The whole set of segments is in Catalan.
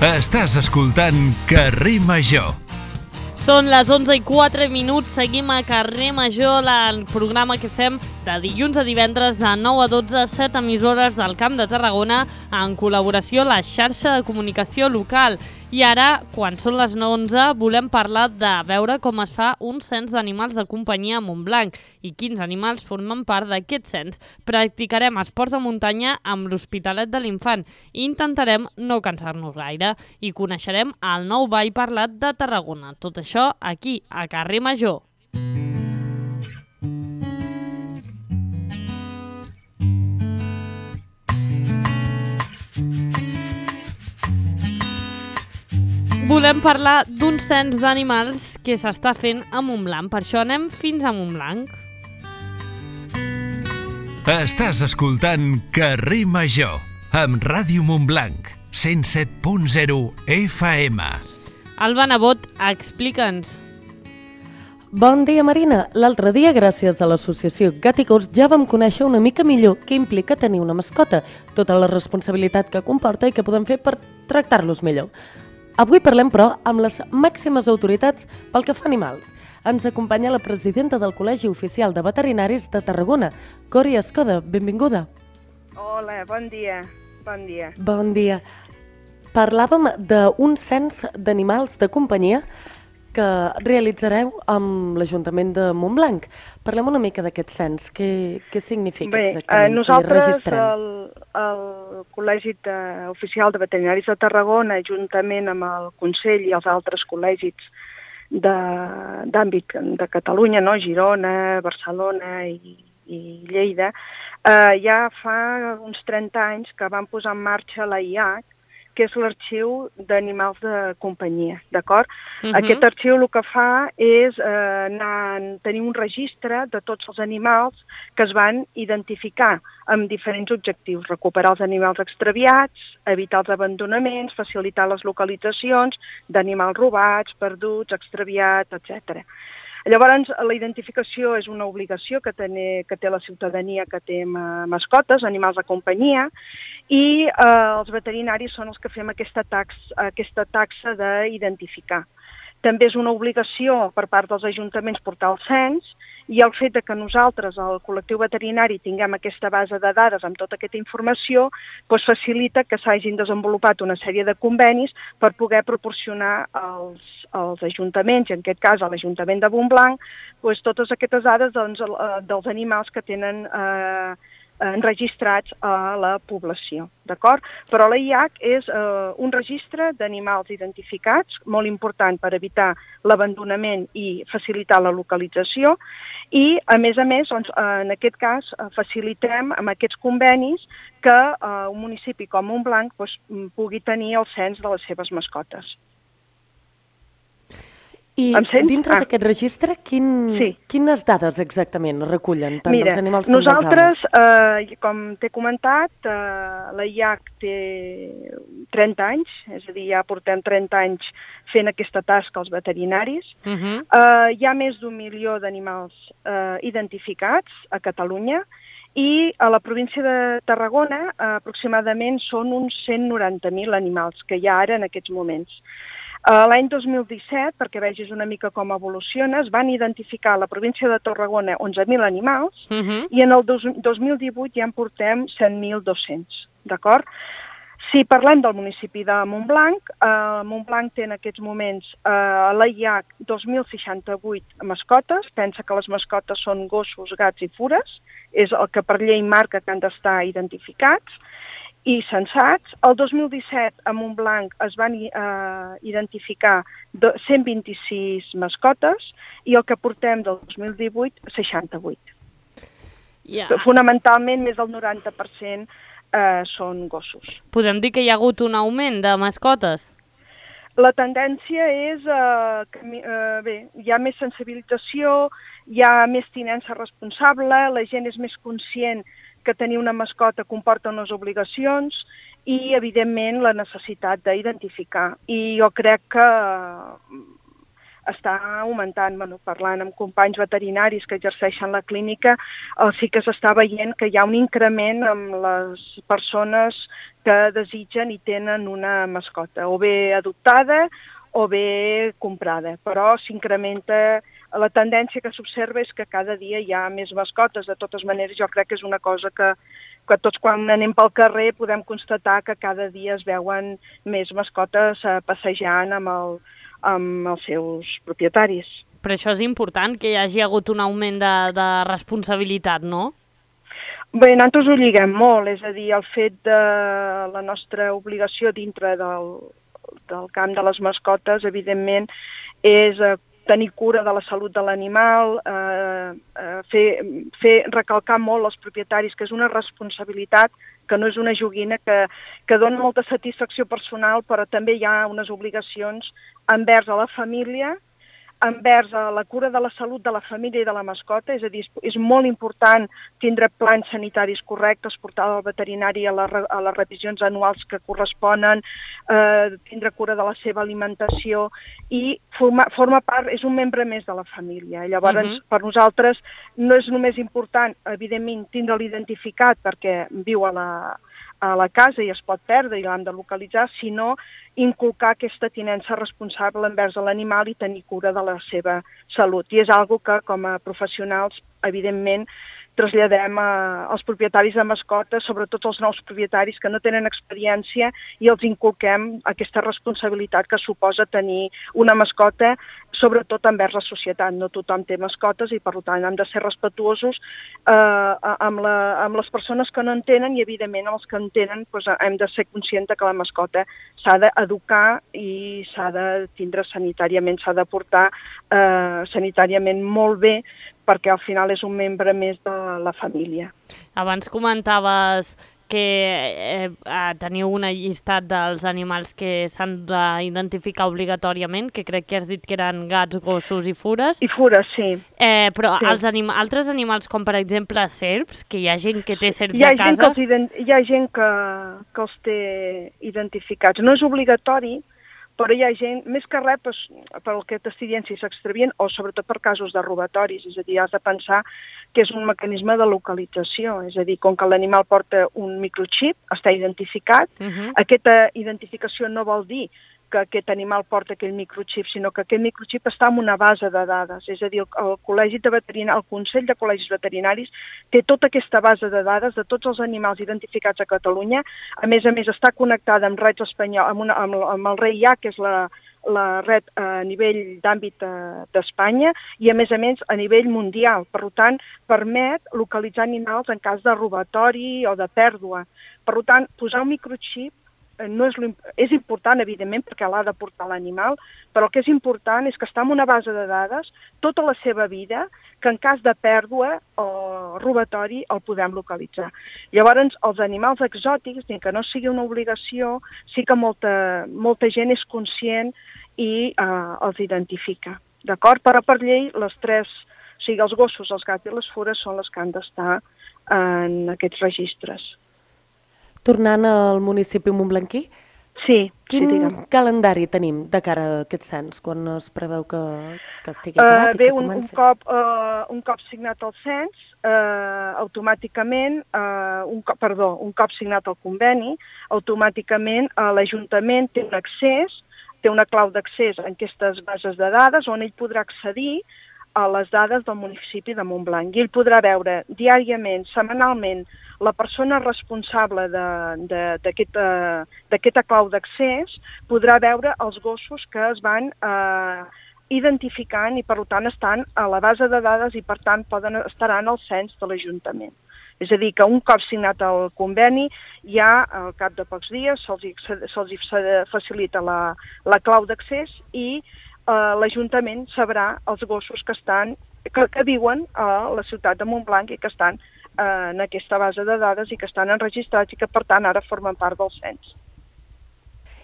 Estàs escoltant Carrer Major. Són les 11:04, seguim a Carrer Major, el programa que fem de dilluns a divendres de 9 a 12, 7 emissores del Camp de Tarragona, en col·laboració a la xarxa de comunicació local. I ara, quan són les 11, volem parlar de veure com es fa un cens d'animals de companyia a Montblanc i quins animals formen part d'aquest cens. Practicarem esports de muntanya amb l'Hospitalet de l'Infant i intentarem no cansar-nos gaire. I coneixerem el nou ball parlat de Tarragona. Tot això aquí, a Carrer Major. Volem parlar d'un cens d'animals que s'està fent a Montblanc. Per això anem fins a Montblanc. Estàs escoltant Carrer Major amb Ràdio Montblanc, 107.0 FM. Alba Nebot, explica'ns. Bon dia, Marina. L'altre dia, gràcies a l'associació Gat i Gos, ja vam conèixer una mica millor què implica tenir una mascota, tota la responsabilitat que comporta i què podem fer per tractar-los millor. Avui parlem, però, amb les màximes autoritats pel que fa a animals. Ens acompanya la presidenta del Col·legi Oficial de Veterinaris de Tarragona, Cori Escoda. Benvinguda. Hola, bon dia. Bon dia. Bon dia. Parlàvem d'un cens d'animals de companyia que realitzareu amb l'Ajuntament de Montblanc. Parlem una mica d'aquest cens. Què significa exactament? Bé, nosaltres, el Col·legi Oficial de Veterinaris de Tarragona, juntament amb el Consell i els altres col·legis d'àmbit de Catalunya, no? Girona, Barcelona i Lleida, ja fa uns 30 anys que van posar en marxa l'AIAC, que és l'Arxiu d'Animals de Companyia, d'acord? Aquest arxiu el que fa és tenir un registre de tots els animals que es van identificar amb diferents objectius: recuperar els animals extraviats, evitar els abandonaments, facilitar les localitzacions d'animals robats, perduts, extraviats, etc. Llavors, la identificació és una obligació que té la ciutadania que té mascotes, animals de companyia, i els veterinaris són els que fem aquesta taxa d'identificar. També és una obligació per part dels ajuntaments portar el cens, i el fet que nosaltres, el col·lectiu veterinari, tinguem aquesta base de dades amb tota aquesta informació, doncs facilita que s'hagin desenvolupat una sèrie de convenis per poder proporcionar als ajuntaments, i en aquest cas a l'Ajuntament de Montblanc, doncs totes aquestes dades dels animals que tenen enregistrats a la població, d'acord? Però l'AIAC és un registre d'animals identificats, molt important per evitar l'abandonament i facilitar la localització, i a més, en aquest cas, facilitem amb aquests convenis que un municipi com Montblanc pugui tenir el cens de les seves mascotes. I dintre d'aquest registre, quines dades exactament recullen tant dels animals com dels homes? Nosaltres, com t'he comentat, l'AIAC té 30 anys, és a dir, ja portem 30 anys fent aquesta tasca als veterinaris. Hi ha més d'1 milió d'animals identificats a Catalunya, i a la província de Tarragona aproximadament són uns 190.000 animals que hi ha ara en aquests moments. L'any 2017, perquè vegis una mica com evoluciona, es van identificar a la província de Tarragona 11.000 animals i en el 2018 ja en portem 100.200, d'acord? Si parlem del municipi de Montblanc, Montblanc té en aquests moments a l'AIAC 2.068 mascotes. Pensa que les mascotes són gossos, gats i fures, és el que per llei marca que han d'estar identificats i censats. El 2017 a Montblanc es van identificar 126 mascotes i el que portem del 2018, 68. Fonamentalment, més del 90% són gossos. Podem dir que hi ha hagut un augment de mascotes? La tendència és que hi ha més sensibilització, hi ha més tinença responsable, la gent és més conscient que tenir una mascota comporta unes obligacions i, evidentment, la necessitat d'identificar. I jo crec que està augmentant. Parlant amb companys veterinaris que exerceixen la clínica, sí que s'està veient que hi ha un increment amb les persones que desitgen i tenen una mascota, o bé adoptada o bé comprada, però s'incrementa. La tendència que s'observa és que cada dia hi ha més mascotes. De totes maneres, jo crec que és una cosa que tots quan anem pel carrer podem constatar que cada dia es veuen més mascotes passejant amb els seus propietaris. Però això és important, que hi hagi hagut un augment de responsabilitat, no? Bé, nosaltres ho lliguem molt, és a dir, el fet de la nostra obligació dintre del camp de les mascotes, evidentment, és tenir cura de la salut de l'animal, recalcar molt als propietaris que és una responsabilitat, que no és una joguina, que dona molta satisfacció personal, però també hi ha unes obligacions envers a la família, envers a la cura de la salut de la família i de la mascota, és a dir, és molt important tindre plans sanitaris correctes, portar al veterinari a les revisions anuals que corresponen, tindre cura de la seva alimentació i forma part, és un membre més de la família. Llavors, per nosaltres no és només important, evidentment, tindre'l identificat perquè viu a la casa i es pot perdre i l'hem de localitzar, sinó inculcar aquesta tinença responsable envers l'animal i tenir cura de la seva salut. I és algo que, com a professionals, evidentment, traslladem als propietaris de mascotes, sobretot als nous propietaris que no tenen experiència, i els inculquem aquesta responsabilitat que suposa tenir una mascota, sobretot envers la societat. No tothom té mascotes i, per tant, hem de ser respetuosos amb les persones que no en tenen i, evidentment, amb els que en tenen hem de ser conscients que la mascota s'ha d'educar i s'ha de tindre sanitàriament, s'ha de portar sanitàriament molt bé, perquè al final és un membre més de la família. Abans comentaves que teniu un llistat dels animals que s'han d'identificar obligatoriament, que crec que has dit que eren gats, gossos i fures. I fures, sí. Però sí. Altres animals, com per exemple serps, que hi ha gent que té serps a casa... Hi ha gent que els té identificats. No és obligatori, però hi ha gent, més que res pel que t'estic dient, si s'extravien, o sobretot per casos de robatoris, és a dir, has de pensar que és un mecanisme de localització, és a dir, com que l'animal porta un microxip, està identificat, aquesta identificació no vol dir que aquest animal porta aquell microxip, sinó que aquest microxip està en una base de dades, és a dir, el Consell de Col·legis Veterinaris té tota aquesta base de dades de tots els animals identificats a Catalunya. A més, està connectada amb Rets Espanyol, amb el REIA, que és la red a nivell d'àmbit d'Espanya, i a més a nivell mundial. Per tant, permet localitzar animals en cas de robatori o de pèrdua. Per tant, posar un microxip és important, evidentment, perquè l'ha de portar l'animal, però el que és important és que està en una base de dades tota la seva vida, que en cas de pèrdua o robatori el podem localitzar. Llavors, els animals exòtics, que no sigui una obligació, sí que molta gent és conscient i els identifica. D'acord? Però per llei, les tres, o sigui, els gossos, els gats i les fures són les que han d'estar en aquests registres. Tornant al municipi montblanquí, quin calendari tenim de cara a aquest cens, quan es preveu que estigui acabat i que comenci? Un cop signat el cens, automàticament, un cop signat el conveni, automàticament l'Ajuntament té un accés, té una clau d'accés en aquestes bases de dades on ell podrà accedir a les dades del municipi de Montblanc. I ell podrà veure diàriament, setmanalment, la persona responsable d'aquesta clau d'accés podrà veure els gossos que es van identificant i, per tant, estan a la base de dades i, per tant, estaran al cens de l'Ajuntament. És a dir, que un cop signat el conveni, ja al cap de pocs dies se'ls facilita la clau d'accés i l'Ajuntament sabrà els gossos que viuen a la ciutat de Montblanc i que estan en aquesta base de dades i que estan enregistrats i que, per tant, ara formen part del cens.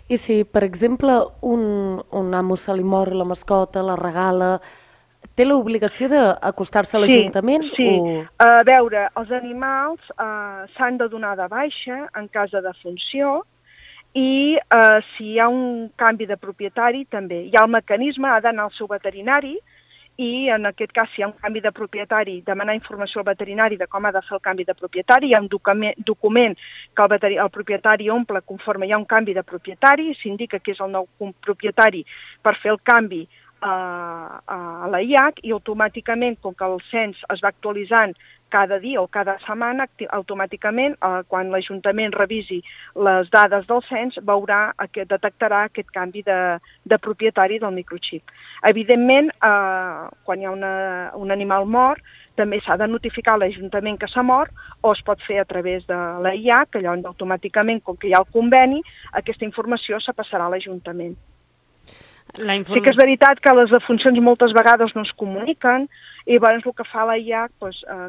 I si, per exemple, un amo se li mor la mascota, la regala, té l'obligació d'acostar-se a l'Ajuntament? Sí. A veure, els animals s'han de donar de baixa en cas de defunció i si hi ha un canvi de propietari també. Hi ha el mecanisme, ha d'anar al seu veterinari i en aquest cas si hi ha un canvi de propietari, demanar informació al veterinari de com ha de fer el canvi de propietari, hi ha un document que el propietari omple conforme hi ha un canvi de propietari, s'indica que és el nou propietari per fer el canvi a la IAC i automàticament, com que el cens es va actualitzant cada dia o cada setmana, automàticament, quan l'Ajuntament revisi les dades del cens, detectarà aquest canvi de propietari del microxip. Evidentment, quan hi ha un animal mort, també s'ha de notificar a l'Ajuntament que s'ha mort o es pot fer a través de la IAC, que llavors automàticament, com que hi ha el conveni, aquesta informació se passarà a l'Ajuntament. Sí que és veritat que les defuncions moltes vegades no es comuniquen i llavors el que fa la IAC,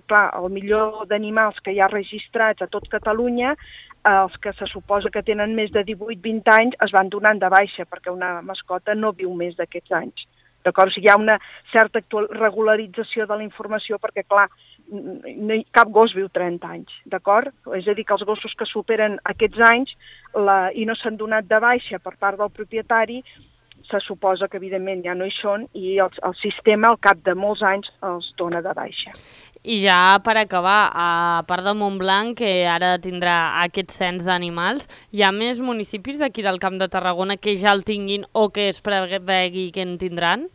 clar, el milió d'animals que hi ha registrats a tot Catalunya, els que se suposa que tenen més de 18-20 anys es van donant de baixa perquè una mascota no viu més d'aquests anys. D'acord? O sigui, hi ha una certa regularització de la informació perquè, clar, cap gos viu 30 anys, d'acord? És a dir, que els gossos que superen aquests anys i no s'han donat de baixa per part del propietari, se suposa que evidentment ja no hi són i el sistema al cap de molts anys els dona de baixa. I ja per acabar, a part de Montblanc, que ara tindrà aquest cens d'animals, hi ha més municipis d'aquí del Camp de Tarragona que ja el tinguin o que es prevegi que en tindran?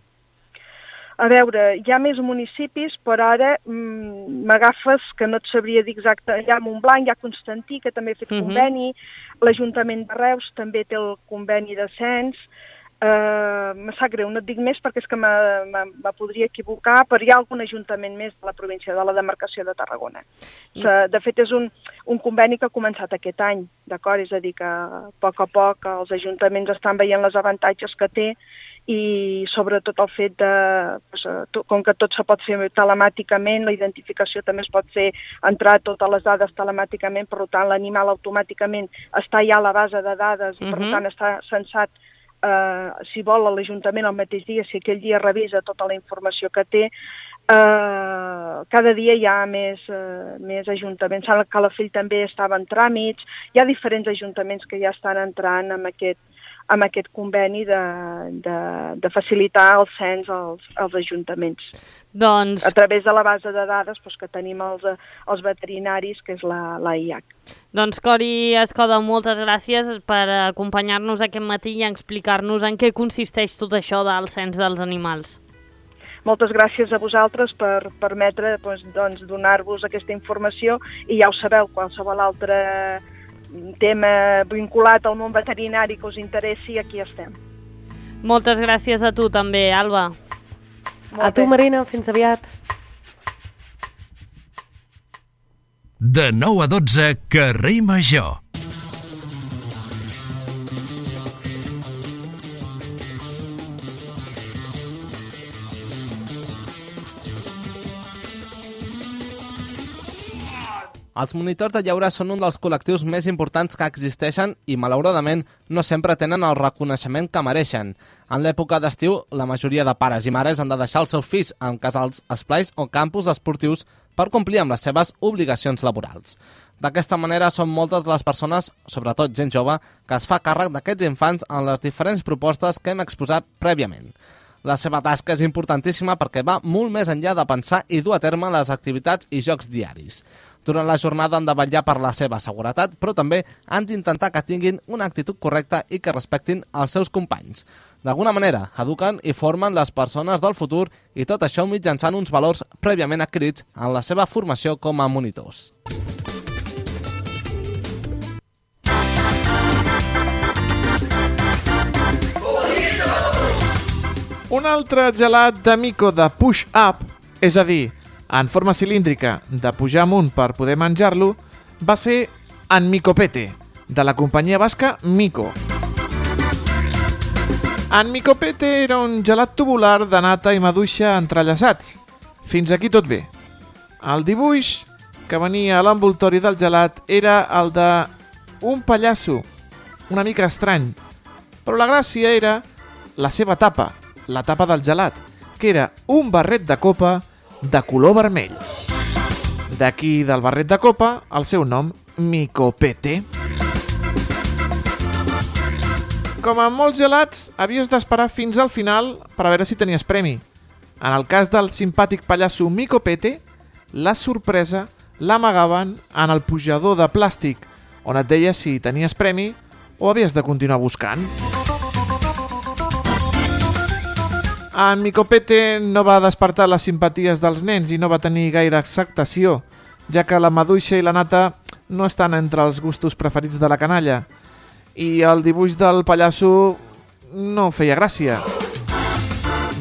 A veure, hi ha més municipis, però ara m'agafes que no et sabria dir exacte. Hi ha Montblanc, hi ha Constantí, que també ha fet conveni, l'Ajuntament de Reus també té el conveni de cens. Me sap greu, no et dic més perquè és que me podria equivocar, però hi ha algun ajuntament més de la província, de la demarcació de Tarragona. De fet, és un conveni que ha començat aquest any, d'acord? És a dir, que a poc els ajuntaments estan veient els avantatges que té i sobretot el fet com que tot se pot fer telemàticament, la identificació també es pot fer, entrar totes les dades telemàticament, per tant l'animal automàticament està ja a la base de dades i per tant està censat si vol a l'Ajuntament el mateix dia, si aquell dia revisa tota la informació que té. Cada dia hi ha més ajuntaments. A Calafell també estava en tràmits. Hi ha diferents ajuntaments que ja estan entrant amb aquest conveni de facilitar el cens als ajuntaments. Doncs... A través de la base de dades que tenim els veterinaris, que és la IAC. Doncs Cori Escoda, moltes gràcies per acompanyar-nos aquest matí i explicar-nos en què consisteix tot això del cens dels animals. Moltes gràcies a vosaltres per permetre donar-vos aquesta informació i ja ho sabeu, qualsevol altre tema vinculat al món veterinari que us interessi, aquí estem. Moltes gràcies a tu també, Alba. A tu, Marina, fins aviat. De 9 a 12, Carrer Major. Els monitors de lleure són un dels col·lectius més importants que existeixen i, malauradament, no sempre tenen el reconeixement que mereixen. En l'època d'estiu, la majoria de pares i mares han de deixar els seus fills en casals, esplais o campus esportius per complir amb les seves obligacions laborals. D'aquesta manera, són moltes les persones, sobretot gent jove, que es fa càrrec d'aquests infants en les diferents propostes que hem exposat prèviament. La seva tasca és importantíssima perquè va molt més enllà de pensar i dur a terme les activitats i jocs diaris. Durant la jornada han de vetllar per la seva seguretat, però també han d'intentar que tinguin una actitud correcta i que respectin els seus companys. D'alguna manera, eduquen i formen les persones del futur i tot això mitjançant uns valors prèviament adquirits en la seva formació com a monitors. Un altre gelat de mico de push-up, és a dir, en forma cilíndrica de pujar amunt per poder menjar-lo, va ser en Micopete, de la companyia basca Mico. En Micopete era un gelat tubular de nata i maduixa entrellaçats. Fins aquí tot bé. El dibuix que venia a l'envoltori del gelat era el d'un pallasso, una mica estrany, però la gràcia era la seva tapa, la tapa del gelat, que era un barret de copa de color vermell. D'aquí del barret de copa, el seu nom, Micopete. Com en molts gelats, havies d'esperar fins al final per a veure si tenies premi. En el cas del simpàtic pallasso Mico Pete, la sorpresa l'amagaven en el pujador de plàstic, on et deia si tenies premi o havies de continuar buscant. En Mico Pete no va despertar les simpaties dels nens i no va tenir gaire acceptació, ja que la maduixa i la nata no estan entre els gustos preferits de la canalla. I el dibuix del pallasso no feia gràcia.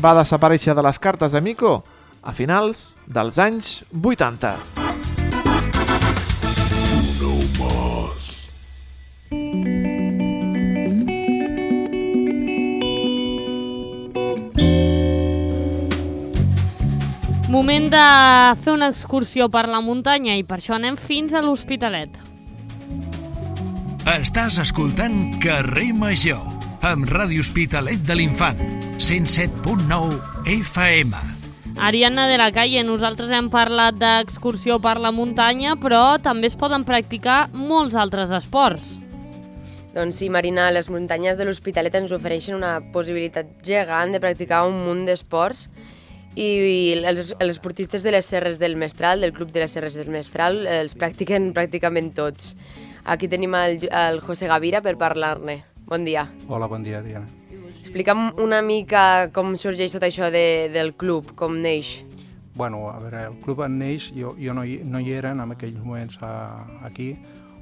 Va desaparèixer de les cartes de Mico a finals dels anys 80. Moment de fer una excursió per la muntanya i per això anem fins a l'Hospitalet. Estàs escoltant Carrer Major, amb Ràdio Hospitalet de l'Infant, 107.9 FM. Ariadna de la Calle, nosaltres hem parlat d'excursió per la muntanya, però també es poden practicar molts altres esports. Doncs sí, Marina, les muntanyes de l'Hospitalet ens ofereixen una possibilitat gegant de practicar un munt d'esports i els esportistes de les Serres del Mestral, del Club de les Serres del Mestral, els practiquen pràcticament tots. Aquí tenim el José Gavira per parlar-ne. Bon dia. Hola, bon dia, Diana. Explica'm una mica com sorgeix tot això del club, com neix. Bueno, a veure, el club neix, jo no hi era en aquells moments aquí,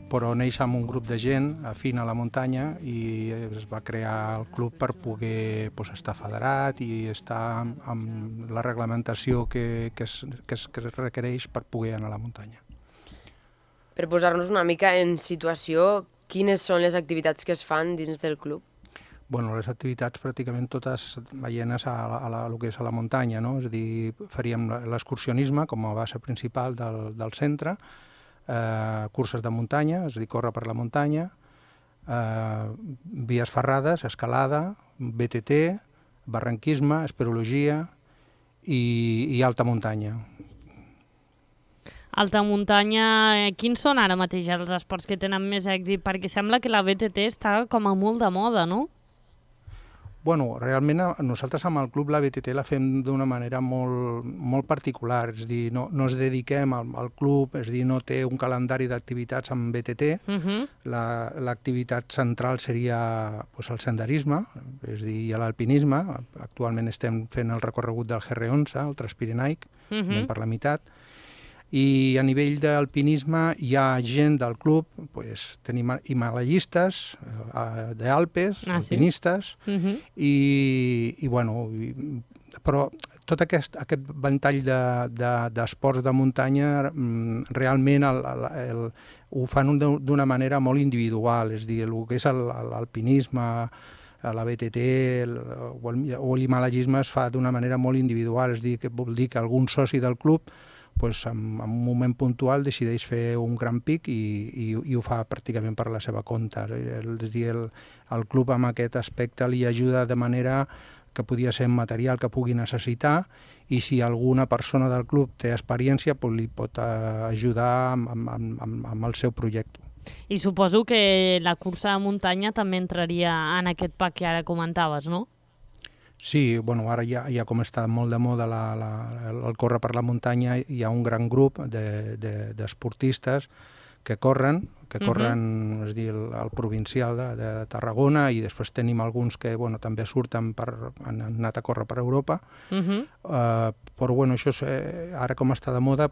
però neix amb un grup de gent afín a la muntanya i es va crear el club per poder estar federat i estar amb la reglamentació que es requereix per poder anar a la muntanya. Per posar-nos una mica en situació, quines són les activitats que es fan dins del club? Bueno, les activitats pràcticament totes veienes a lo que és a la muntanya, no? És a dir, faríem l'excursionisme com a base principal del centre, curses de muntanya, és a dir, córrer per la muntanya, vies ferrades, escalada, BTT, barranquisme, esperologia i alta muntanya. Alta muntanya, quins són ara mateix els esports que tenen més èxit? Perquè sembla que la BTT està com a molt de moda, no? Bueno, realment nosaltres amb el club la BTT la fem d'una manera molt particular, és a dir, no ens dediquem al club, és a dir, no té un calendari d'activitats amb BTT, l'activitat central seria el senderisme, és a dir, l'alpinisme, actualment estem fent el recorregut del GR11, el Transpirenaic, anem per la meitat, i a nivell d'alpinisme hi ha gent del club, tenim himalayistes, d'Alpes, alpinistes, i bueno, però tot aquest ventall d'esports de muntanya realment ho fan d'una manera molt individual, és a dir, el que és l'alpinisme, la BTT o l'himalayisme es fa d'una manera molt individual, és a dir, que vol dir que algun soci del club en un moment puntual decideix fer un gran pic i ho fa pràcticament per la seva compte. És a dir, el club amb aquest aspecte li ajuda de manera que podia ser material que pugui necessitar i si alguna persona del club té experiència li pot ajudar amb el seu projecte. I suposo que la cursa de muntanya també entraria en aquest pack que ara comentaves, no? Sí, bueno, ara ja com està molt de moda el córrer per la muntanya, hi ha un gran grup d'esportistes que corren, és a dir, el provincial de Tarragona, i després tenim alguns que també surten, han anat a córrer per Europa, però això ara com està de moda,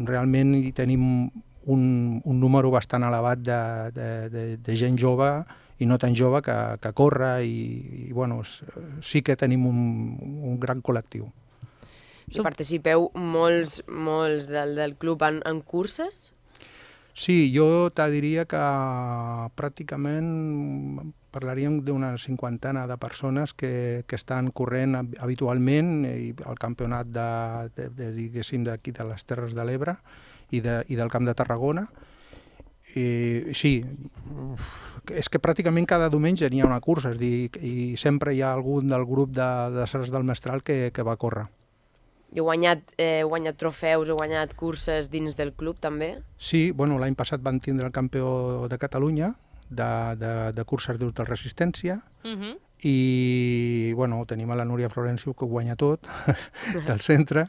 realment hi tenim un número bastant elevat de gent jove i no tan jove que corre i sí que tenim un gran col·lectiu. I participeu molts del club en curses? Sí, jo te diria que pràcticament parlaríem d'una 50 de persones que estan corrent habitualment al campionat diguéssim d'aquí de les Terres de l'Ebre i del Camp de Tarragona. Sí, és que pràcticament cada diumenge n'hi ha una cursa, és a dir, i sempre hi ha algun del grup de Serres del Mestral que va córrer. I heu guanyat trofeus, heu guanyat curses dins del club també? Sí, l'any passat van tindre el campió de Catalunya de curses d'ultra resistència, i bueno, tenim a la Núria Florencio, que ho guanya tot, del centre,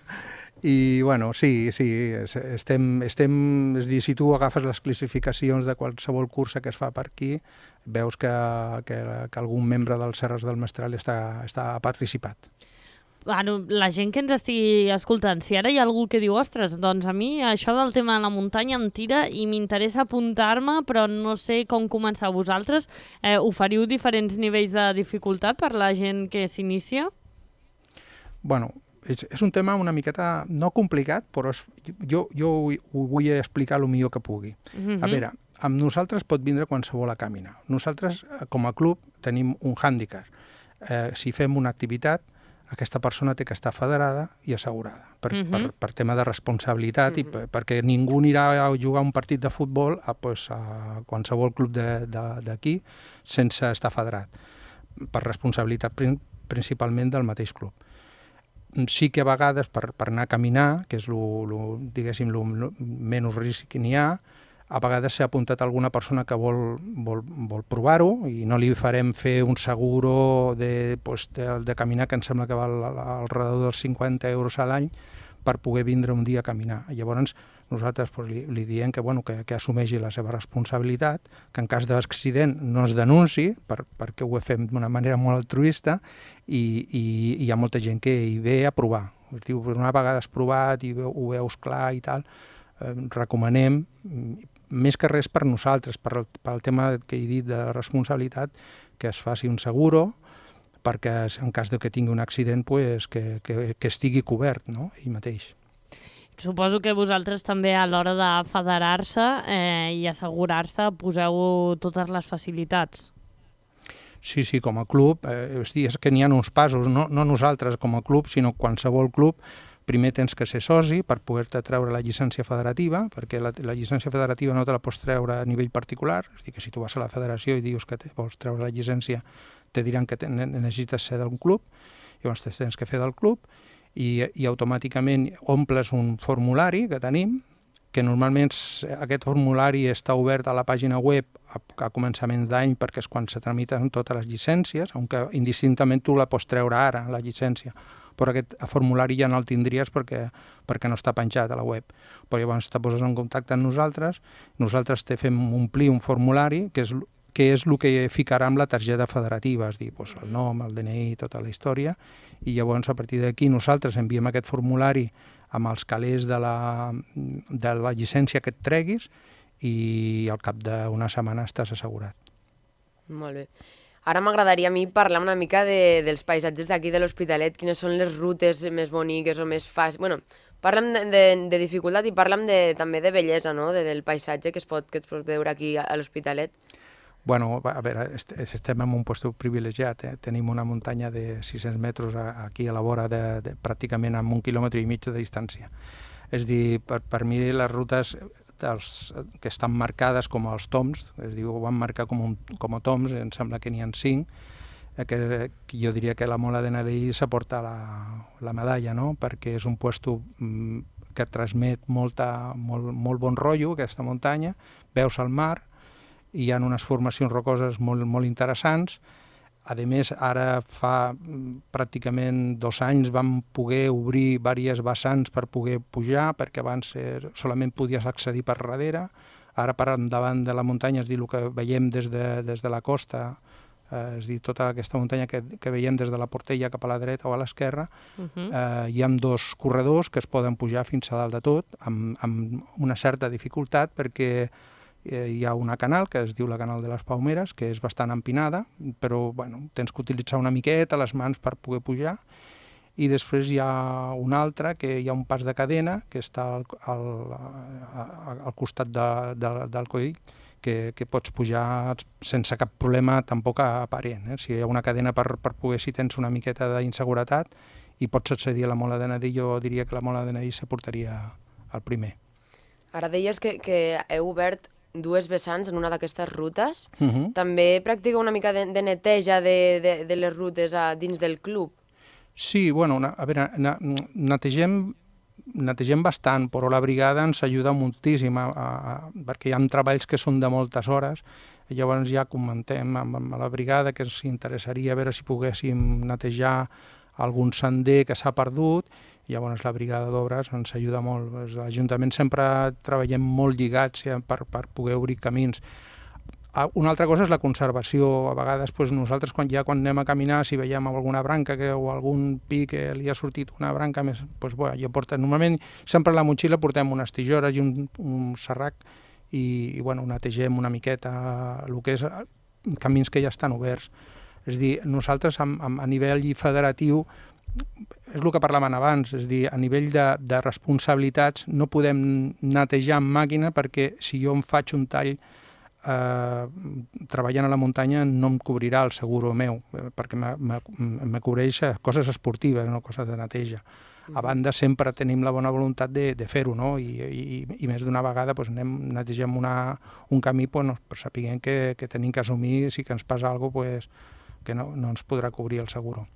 i bueno, sí, estem, és a dir, si tu agafes les classificacions de qualsevol cursa que es fa per aquí, veus que algun membre dels Serres del Mestral ha participat. Bueno, la gent que ens estigui escoltant, si ara hi ha algú que diu, ostres, doncs a mi això del tema de la muntanya em tira i m'interessa apuntar-me, però no sé com començar. Vosaltres oferiu diferents nivells de dificultat per la gent que s'inicia? Bueno, és un tema una miqueta, no complicat, però jo ho vull explicar el millor que pugui. A veure, amb nosaltres pot vindre qualsevol a caminar. Nosaltres, com a club, tenim un hàndicap. Si fem una activitat, aquesta persona té que estar federada i assegurada per tema de responsabilitat i perquè ningú anirà a jugar un partit de futbol a qualsevol club d'aquí sense estar federat, per responsabilitat principalment del mateix club. Sí que a vegades per anar a caminar, que és diguéssim, el menys risc que n'hi ha, a vegades s'ha apuntat alguna persona que vol provar-ho i no li farem fer un seguro de caminar, que em sembla que val al redador dels 50 euros a l'any per poder vindre un dia a caminar. Llavors nosaltres li diem que assumeixi la seva responsabilitat, que en cas d'accident no es denunciï, perquè ho fem d'una manera molt altruista i hi ha molta gent que hi ve a provar. Diu, una vegada has provat i ho veus clar i tal, recomanem, més que res per nosaltres, pel tema que he dit de responsabilitat, que es faci un seguro, perquè en cas que tingui un accident que estigui cobert, no? Ell mateix. Suposo que vosaltres també a l'hora de federar-se i assegurar-se poseu totes les facilitats. Sí, com a club, és que n'hi ha uns passos, no nosaltres com a club, sinó qualsevol club. Primer tens que ser soci per poder-te treure la llicència federativa, perquè la llicència federativa no te la pots treure a nivell particular, és a dir, que si tu vas a la federació i dius que vols treure la llicència, te diran que necessites ser d'un club, llavors tens que fer del club, i automàticament omples un formulari que tenim, que normalment aquest formulari està obert a la pàgina web a començament d'any, perquè és quan se tramiten totes les llicències, aunque indistintament tu la pots treure ara, la llicència, però aquest formulari ja no el tindries perquè no està penjat a la web. Però llavors te poses en contacte amb nosaltres te fem omplir un formulari que és el que ficarà amb la targeta federativa, és a dir, el nom, el DNI, tota la història, i llavors a partir d'aquí nosaltres enviem aquest formulari amb els calés de la llicència que et treguis i al cap d'una setmana estàs assegurat. Molt bé. Ara m'agradaria a mi parlar una mica dels paisatges d'aquí de l'Hospitalet, quines són les rutes més boniques o més fàcils. Bueno, parlem de dificultat i parlem també de bellesa, no?, del paisatge que es pot veure aquí a l'Hospitalet. Bueno, a veure, estem en un lloc privilegiat. Tenim una muntanya de 600 metres aquí a la vora, pràcticament amb 1,5 quilòmetres de distància. És a dir, per mi les rutes que estan marcades com els toms, és a dir, ho van marcar com a toms, em sembla que n'hi ha 5, que jo diria que la Mola de Nadell s'aporta la medalla, no?, perquè és un lloc que transmet molt bon rotllo, aquesta muntanya, veus el mar, hi ha unes formacions rocoses molt interessants. A més, ara fa pràcticament 2 anys vam poder obrir diverses vessants per poder pujar, perquè abans solament podies accedir per darrere. Ara per endavant de la muntanya, és a dir, el que veiem des de la costa, és a dir, tota aquesta muntanya que veiem des de la Portella cap a la dreta o a l'esquerra, hi ha 2 corredors que es poden pujar fins a dalt de tot, amb una certa dificultat, perquè hi ha una canal que es diu la Canal de les Palmeres, que és bastant empinada, però tens que utilitzar una miqueta les mans per poder pujar, i després hi ha una altra, que hi ha un pas de cadena que està al costat del coll, que pots pujar sense cap problema tampoc aparent. Si hi ha una cadena per poder, si tens una miqueta d'inseguretat i pots accedir a la Mola de Nadell, jo diria que la Mola de Nadell s'aportaria al primer. Ara deies que heu obert 2 vessants en una d'aquestes rutes. També practica una mica de neteja de les rutes dins del club? Sí, a veure, netegem bastant, però la brigada ens ajuda moltíssim, perquè hi ha treballs que són de moltes hores. i llavors ja comentem amb la brigada que ens interessaria veure si poguéssim netejar algun sender que s'ha perdut, i llavors la brigada d'obres ens ajuda molt. L'Ajuntament sempre treballem molt lligats per poder obrir camins. Una altra cosa és la conservació. A vegades nosaltres quan anem a caminar, si veiem alguna branca o algun pi que li ha sortit una branca més, jo porto, normalment sempre a la motxilla portem unes tisores i un serrac i netegem una miqueta el que és camins que ja estan oberts. És a dir, nosaltres a nivell federatiu, és el que parlaven abans, és a dir, a nivell de responsabilitats no podem netejar amb màquina perquè si jo em faig un tall treballant a la muntanya no em cobrirà el seguro meu, perquè me cobreix coses esportives, no coses de neteja. A banda, sempre tenim la bona voluntat de fer-ho, no? I més d'una vegada netegem un camí per saber que tenim que assumir si que ens passa alguna cosa que no ens podrà cobrir el seguro.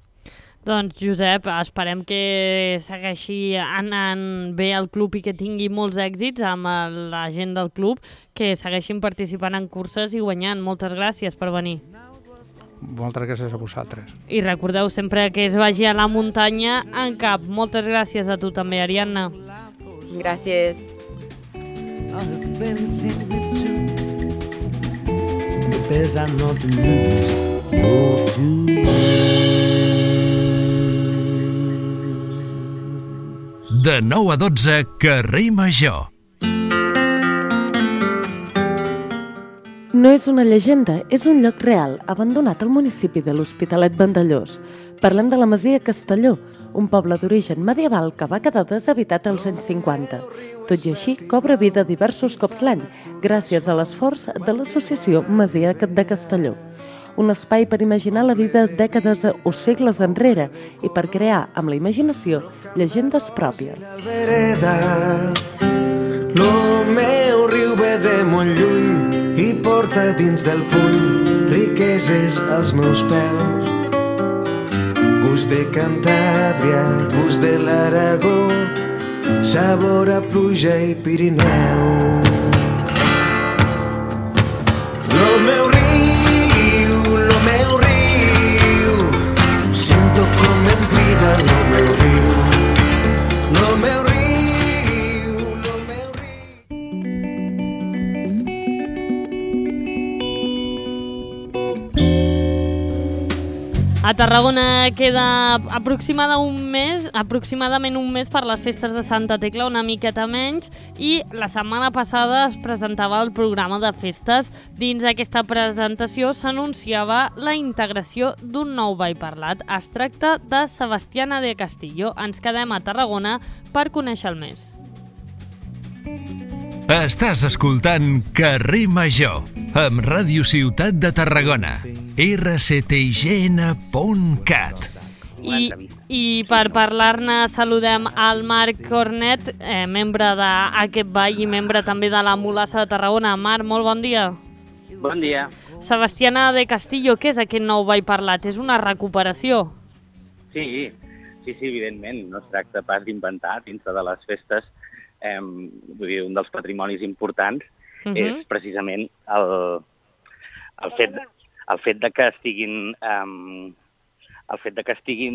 Doncs, Josep, esperem que segueixi anant bé el club i que tingui molts èxits amb la gent del club, que segueixin participant en curses i guanyant. Moltes gràcies per venir. Moltes gràcies a vosaltres. I recordeu sempre que es vagi a la muntanya en cap. Moltes gràcies a tu també, Ariadna. Gràcies. De 9 a 12, carrer Major. No és una llegenda, és un lloc real, abandonat al municipi de l'Hospitalet Vandellòs. Parlem de la masia Castelló, un poble d'origen medieval que va quedar deshabitat als anys 50. Tot i així, cobra vida diversos cops l'any, gràcies a l'esforç de l'associació Masia de Castelló. Un espai per imaginar la vida dècades o segles enrere i per crear, amb la imaginació, llegendes pròpies. Lo meu riu ve de molt lluny i porta dins del puny riqueses als meus peus. Gust de Cantàbria, gust de l'Aragó, sabor a pluja i Pirineu. Lo meu riu, sento com em crida lo meu riu, lo meu riu, lo meu riu. A Tarragona queda aproximadament un mes per les festes de Santa Tecla, una miqueta menys, i la setmana passada es presentava el programa de festes. Dins d'aquesta presentació s'anunciava la integració d'un nou ball parlat. Es tracta de Sebastiana de Castillo. Ens quedem a Tarragona per conèixer-el més. Estàs escoltant Carrer Major, amb Ràdio Ciutat de Tarragona, rctign.cat. I per parlar-ne saludem al Marc Cornet, membre d'aquest ball i membre també de la Mulassa de Tarragona. Marc, molt bon dia. Bon dia. Sebastiana de Castillo, què és aquest nou ball parlat? És una recuperació? Sí, evidentment. No es tracta pas d'inventar dins de les festes. Vull dir, un dels patrimonis importants és precisament el fet de que estiguin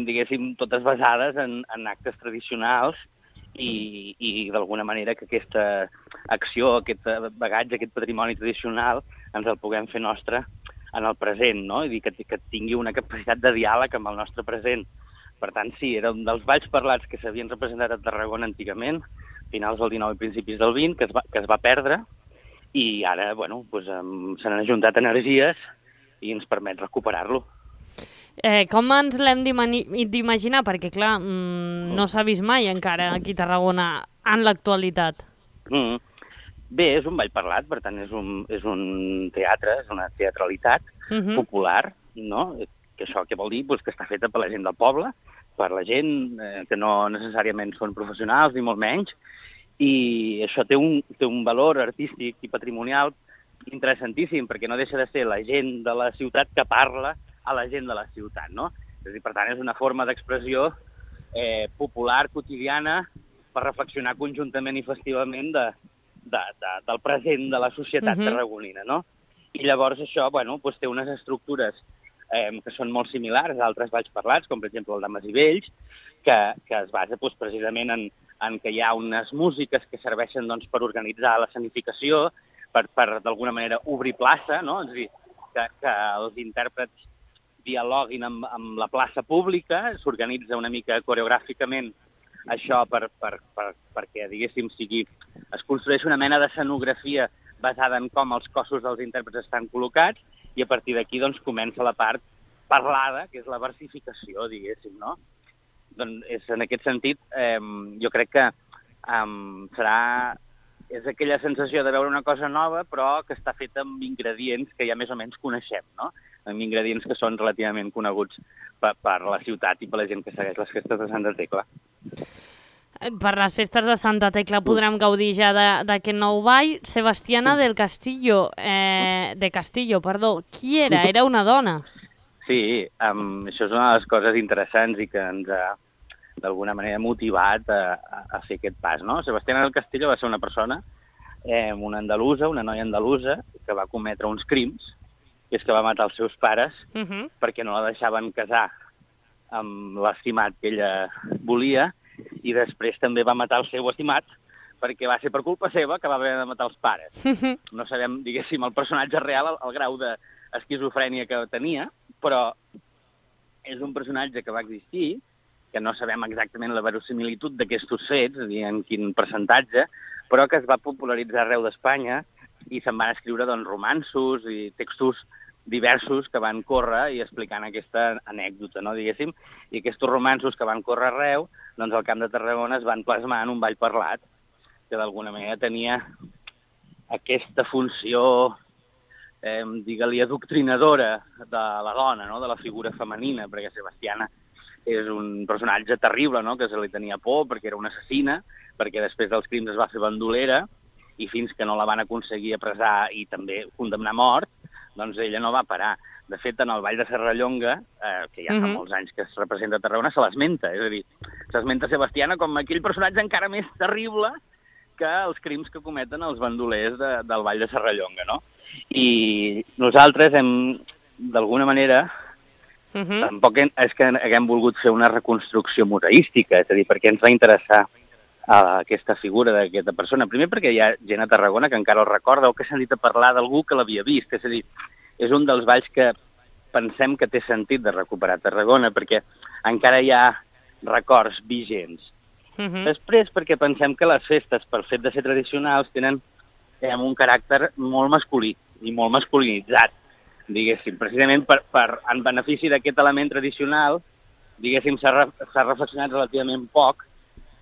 diguéssim, totes basades en actes tradicionals i d'alguna manera que aquesta acció, aquest bagatge, aquest patrimoni tradicional ens el puguem fer nostre en el present, no? I dir que tingui una capacitat de diàleg amb el nostre present. Per tant, sí, era un dels balls parlats que s'havien representat a Tarragona antigament, finals del 19 i principis del 20, que es va perdre, i ara, se n'han ajuntat energies i ens permet recuperar-lo. Com ens l'hem d'imaginar? Perquè, clar, no s'ha vist mai encara aquí a Tarragona en l'actualitat. Bé, és un ball parlat, per tant, és un teatre, és una teatralitat popular, no? Que això què vol dir? Que està feta per la gent del poble, per la gent que no necessàriament són professionals, ni molt menys, i això té un valor artístic i patrimonial interessantíssim, perquè no deixa de ser la gent de la ciutat que parla a la gent de la ciutat, no? És a dir, per tant, és una forma d'expressió popular, quotidiana, per reflexionar conjuntament i festivament del present de la societat tarragonina, no? I llavors això, bueno, doncs té unes estructures que són molt similars a altres balls parlats, com per exemple el de Masivelles, que es basa doncs, precisament en que hi ha unes músiques que serveixen doncs, per organitzar l'escenificació, per d'alguna manera obrir plaça, no? És a dir, que els intèrprets dialoguin amb la plaça pública, s'organitza una mica coreogràficament això perquè, diguéssim, es construeix una mena d'escenografia basada en com els cossos dels intèrprets estan col·locats i a partir d'aquí doncs, comença la part parlada, que és la versificació, diguéssim, no? Doncs en aquest sentit, jo crec que és aquella sensació de veure una cosa nova, però que està feta amb ingredients que ja més o menys coneixem, no? Amb ingredients que són relativament coneguts per la ciutat i per la gent que segueix les festes de Santa Tecla. Per les festes de Santa Tecla podrem gaudir ja d'aquest nou ball. Sebastiana del Castillo, qui era? Era una dona. Sí, això és una de les coses interessants i que ens ha, d'alguna manera, motivat a fer aquest pas, no? Sebastiana del Castillo va ser una persona, una andalusa, una noia andalusa, que va cometre uns crims, que és que va matar els seus pares perquè no la deixaven casar amb l'estimat que ella volia, i després també va matar el seu estimat perquè va ser per culpa seva que va haver de matar els pares. No sabem, diguéssim, el personatge real, el grau d'esquizofrènia que tenia, però és un personatge que va existir, que no sabem exactament la verosimilitud d'aquests fets, és a dir, en quin percentatge, però que es va popularitzar arreu d'Espanya i se'n van escriure doncs, romanços i textos diversos que van córrer i explicant aquesta anècdota, no, diguéssim, i aquests romanços que van córrer arreu, doncs al Camp de Tarragona es van plasmar en un ball parlat, que d'alguna manera tenia aquesta funció, digue-li, adoctrinadora de la dona, no, de la figura femenina, perquè Sebastiana és un personatge terrible, no, que se li tenia por perquè era una assassina, perquè després dels crims es va fer bandolera, i fins que no la van aconseguir apressar i també condemnar a mort, doncs ella no va parar. De fet, en el Ball de Serrallonga, que ja fa molts anys que es representa a Tarragona, se l'esmenta. És a dir, s'esmenta Sebastiana com aquell personatge encara més terrible que els crims que cometen els bandolers del Ball de Serrallonga, no? I nosaltres hem, d'alguna manera, tampoc és que haguem volgut fer una reconstrucció museística, és a dir, perquè ens va interessar aquesta figura d'aquesta persona. Primer perquè hi ha gent a Tarragona que encara el recorda o que s'ha dit a parlar d'algú que l'havia vist. És a dir, és un dels balls que pensem que té sentit de recuperar a Tarragona perquè encara hi ha records vigents. Després perquè pensem que les festes, pel fet de ser tradicionals, tenen un caràcter molt masculí i molt masculinitzat, diguéssim. Precisament en benefici d'aquest element tradicional, diguéssim, s'ha reflexionat relativament poc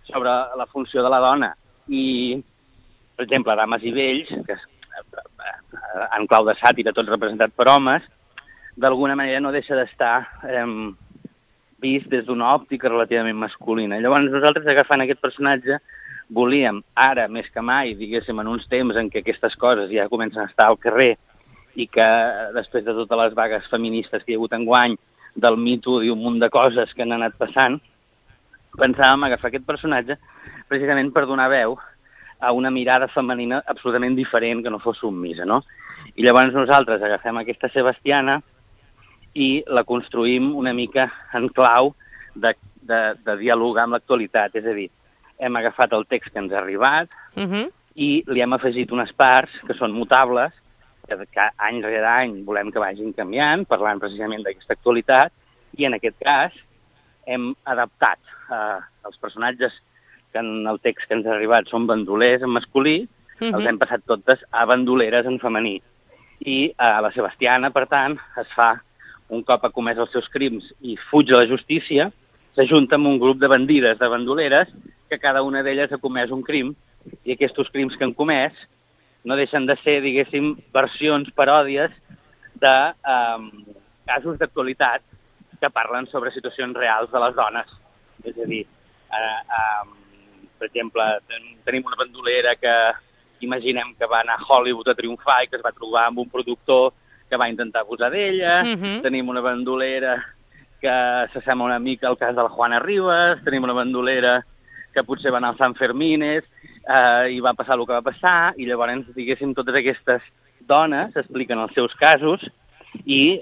sobre la funció de la dona. I, per exemple, Dames i Vells, que en clau de sàtira, tot representat per homes, d'alguna manera no deixa d'estar vist des d'una òptica relativament masculina. Llavors, nosaltres, agafant aquest personatge, volíem, ara més que mai, diguéssim, en uns temps en què aquestes coses ja comencen a estar al carrer i que després de totes les vagues feministes que hi ha hagut enguany, del Me Too i un munt de coses que han anat passant, pensàvem agafar aquest personatge precisament per donar veu a una mirada femenina absolutament diferent, que no fos submisa, no? I llavors nosaltres agafem aquesta Sebastiana i la construïm una mica en clau de dialogar amb l'actualitat. És a dir, hem agafat el text que ens ha arribat i li hem afegit unes parts que són mutables, que any rere any volem que vagin canviant, parlant precisament d'aquesta actualitat, i en aquest cas hem adaptat els personatges que en el text que ens ha arribat són bandolers en masculí, els hem passat totes a bandoleres en femení. I la Sebastiana, per tant, es fa, un cop ha comès els seus crims i fuig de la justícia, s'ajunta amb un grup de bandides, de bandoleres, que cada una d'elles ha comès un crim, i aquests crims que han comès no deixen de ser, diguéssim, versions, paròdies de casos d'actualitat que parlen sobre situacions reals de les dones. És a dir, per exemple, tenim una bandolera que imaginem que va anar a Hollywood a triomfar i que es va trobar amb un productor que va intentar abusar d'ella. Tenim una bandolera que s'assembla una mica al cas de la Juana Rivas. Tenim una bandolera que potser va anar al Sant Fermines i va passar el que va passar. I llavors, diguéssim, totes aquestes dones expliquen els seus casos i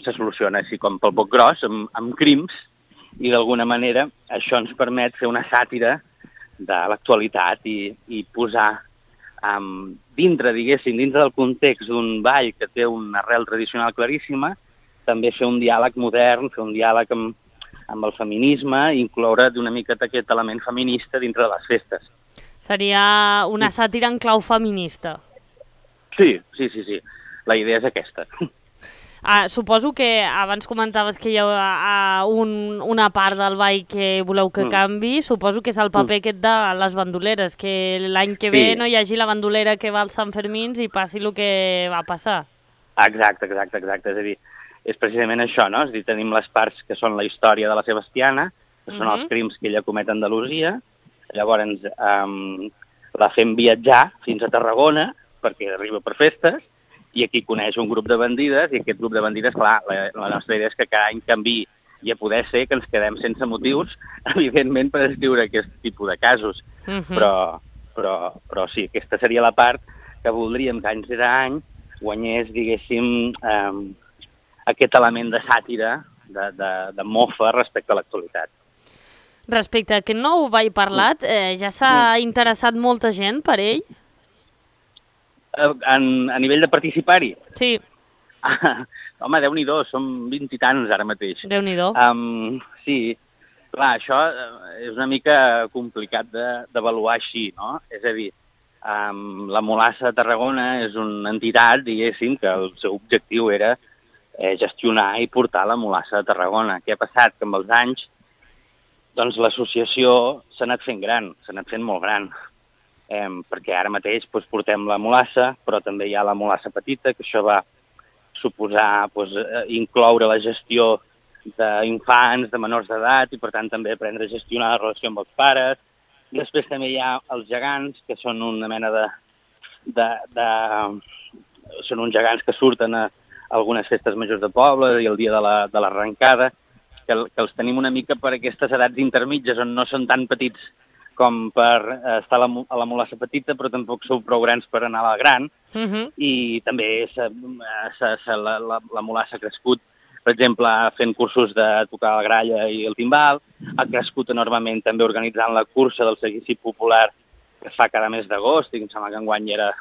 se soluciona així com pel poc gros, amb crims, i d'alguna manera això ens permet fer una sàtira de l'actualitat i posar dintre, diguéssim, dintre del context d'un ball que té una arrel tradicional claríssima, també fer un diàleg modern, fer un diàleg amb el feminisme i incloure d'una miqueta aquest element feminista dintre de les festes. Seria una sàtira en clau feminista. Sí. La idea és aquesta. Suposo que abans comentaves que hi ha una part del ball que voleu que canvi. Suposo que és el paper aquest de les bandoleres, que l'any que ve no hi hagi la bandolera que va als Sant Fermins i passi el que va passar. Exacte. És a dir, és precisament això, no? És a dir, tenim les parts que són la història de la Sebastiana, que són els crims que ella comet a Andalusia, llavors la fem viatjar fins a Tarragona, perquè arriba per festes, i aquí coneix un grup de bandides, i aquest grup de bandides, clar, la nostra idea és que cada any canviï, i a poder ser que ens quedem sense motius, evidentment, per escriure aquest tipus de casos. Però sí, aquesta seria la part que voldríem que any rere any guanyés, diguéssim, aquest element de sàtira, de mofa respecte a l'actualitat. Respecte a aquest nou ball parlat, ja s'ha interessat molta gent per ell? A nivell de participar-hi? Sí. Home, Déu-n'hi-do, som 20 i tants ara mateix. Déu-n'hi-do. Sí, clar, això és una mica complicat d'avaluar així, no? És a dir, la Mulassa de Tarragona és una entitat, diguéssim, que el seu objectiu era gestionar i portar la Mulassa de Tarragona. Què ha passat? Que amb els anys doncs l'associació s'ha anat fent gran, s'ha anat fent molt gran, perquè ara mateix portem la Mulassa, però també hi ha la Mulassa petita, que això va suposar incloure la gestió d'infants, de menors d'edat, i per tant també aprendre a gestionar la relació amb els pares. Després també hi ha els gegants, que són una mena són uns gegants que surten a algunes festes majors de poble i el dia de l'arrencada, que els tenim una mica per aquestes edats intermitges on no són tan petits com per estar a la Mulassa petita, però tampoc sou prou grans per anar a la gran. I també la Mulassa ha crescut, per exemple, fent cursos de tocar la gralla i el timbal, ha crescut enormement també organitzant la cursa del seguici popular que es fa cada mes d'agost, i em sembla que enguany era,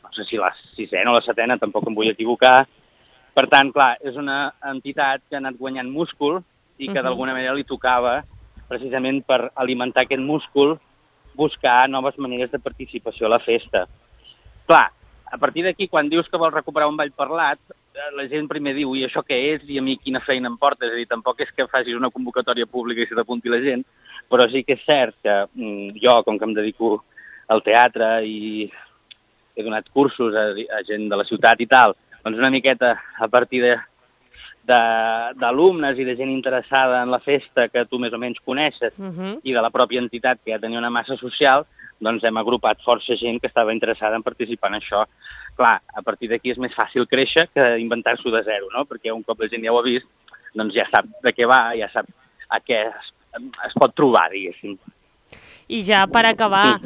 no sé si la 6ena o la 7ena, tampoc em vull equivocar. Per tant, clar, és una entitat que ha anat guanyant múscul i que d'alguna manera li tocava, precisament per alimentar aquest múscul, buscar noves maneres de participació a la festa. Clar, a partir d'aquí, quan dius que vols recuperar un ball parlat, la gent primer diu, i això què és, i a mi quina feina em porta? És a dir, tampoc és que facis una convocatòria pública i se t'apunti la gent, però sí que és cert que jo, com que em dedico al teatre i he donat cursos a gent de la ciutat i tal, doncs una miqueta a partir d'alumnes i de gent interessada en la festa que tu més o menys coneixes i de la pròpia entitat que ja tenia una massa social, doncs hem agrupat força gent que estava interessada en participar en això. Clar, a partir d'aquí és més fàcil créixer que inventar-s'ho de zero, no? Perquè un cop la gent ja ho ha vist, doncs ja sap de què va, ja sap a què es pot trobar, diguéssim. I ja per acabar,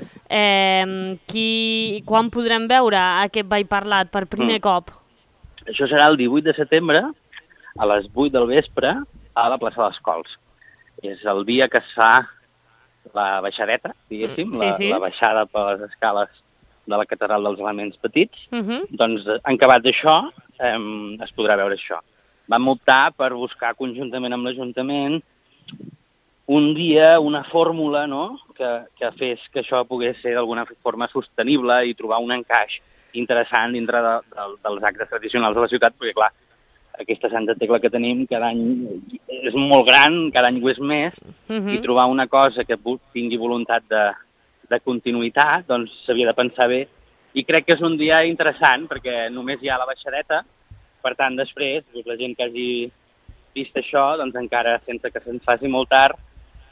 quan podrem veure aquest ball parlat per primer cop? Això serà el 18 de setembre, a les 8 del vespre, a la plaça dels Cols. És el dia que es fa la baixadeta, diguéssim, la baixada per les escales de la catedral dels Elements Petits. Doncs, en acabat d'això, es podrà veure això. Vam optar per buscar conjuntament amb l'Ajuntament un dia, una fórmula, no?, que fes que això pogués ser d'alguna forma sostenible i trobar un encaix interessant dintre dels actes tradicionals de la ciutat, perquè, clar, aquesta Santa Tecla que tenim cada any és molt gran, cada any ho és més, i trobar una cosa que tingui voluntat de continuïtat, doncs s'havia de pensar bé. I crec que és un dia interessant, perquè només hi ha la baixadeta, per tant, després, la gent que hagi vist això, doncs encara, sense que se'ns faci molt tard,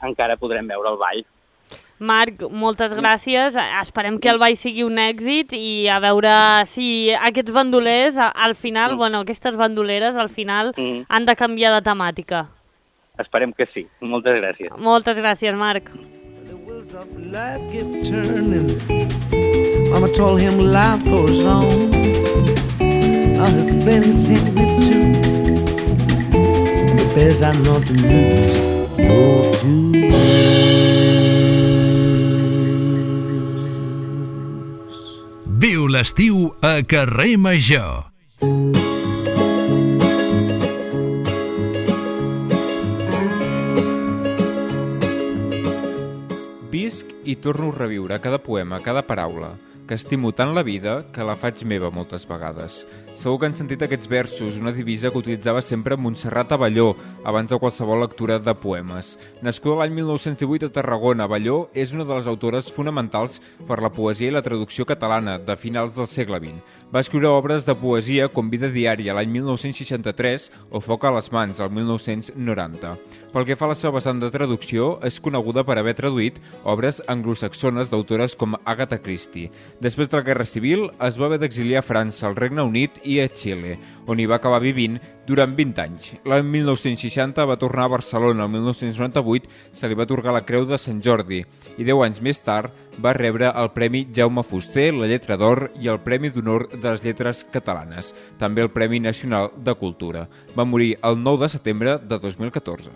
encara podrem veure el ball. Marc, moltes gràcies. Esperem que el ball sigui un èxit i a veure si aquests bandolers, al final, aquestes bandoleres, al final, han de canviar de temàtica. Esperem que sí. Moltes gràcies. Moltes gràcies, Marc. Mama told him life goes on. anything with you. The best are not to lose, no to lose. Viu l'estiu a Carrer Major. Visc i torno a reviure cada poema, cada paraula, que estimo tant la vida que la faig meva moltes vegades. Segur que han sentit aquests versos, una divisa que utilitzava sempre Montserrat Abelló, abans de qualsevol lectura de poemes. Nascuda l'any 1918 a Tarragona, Abelló és una de les autores fonamentals per la poesia i la traducció catalana de finals del segle XX. Va escriure obres de poesia com Vida diària l'any 1963 o Foc a les mans el 1990. Pel que fa a la seva vessant de traducció, és coneguda per haver traduït obres anglosaxones d'autores com Agatha Christie. Després de la Guerra Civil, es va haver d'exiliar a França, al Regne Unit i a Xile, on hi va acabar vivint durant 20 anys. L'any 1960 va tornar a Barcelona, el 1998 se li va atorgar la Creu de Sant Jordi i 10 anys més tard va rebre el Premi Jaume Fuster, la Lletra d'Or i el Premi d'Honor de les Lletres Catalanes, també el Premi Nacional de Cultura. Va morir el 9 de setembre de 2014.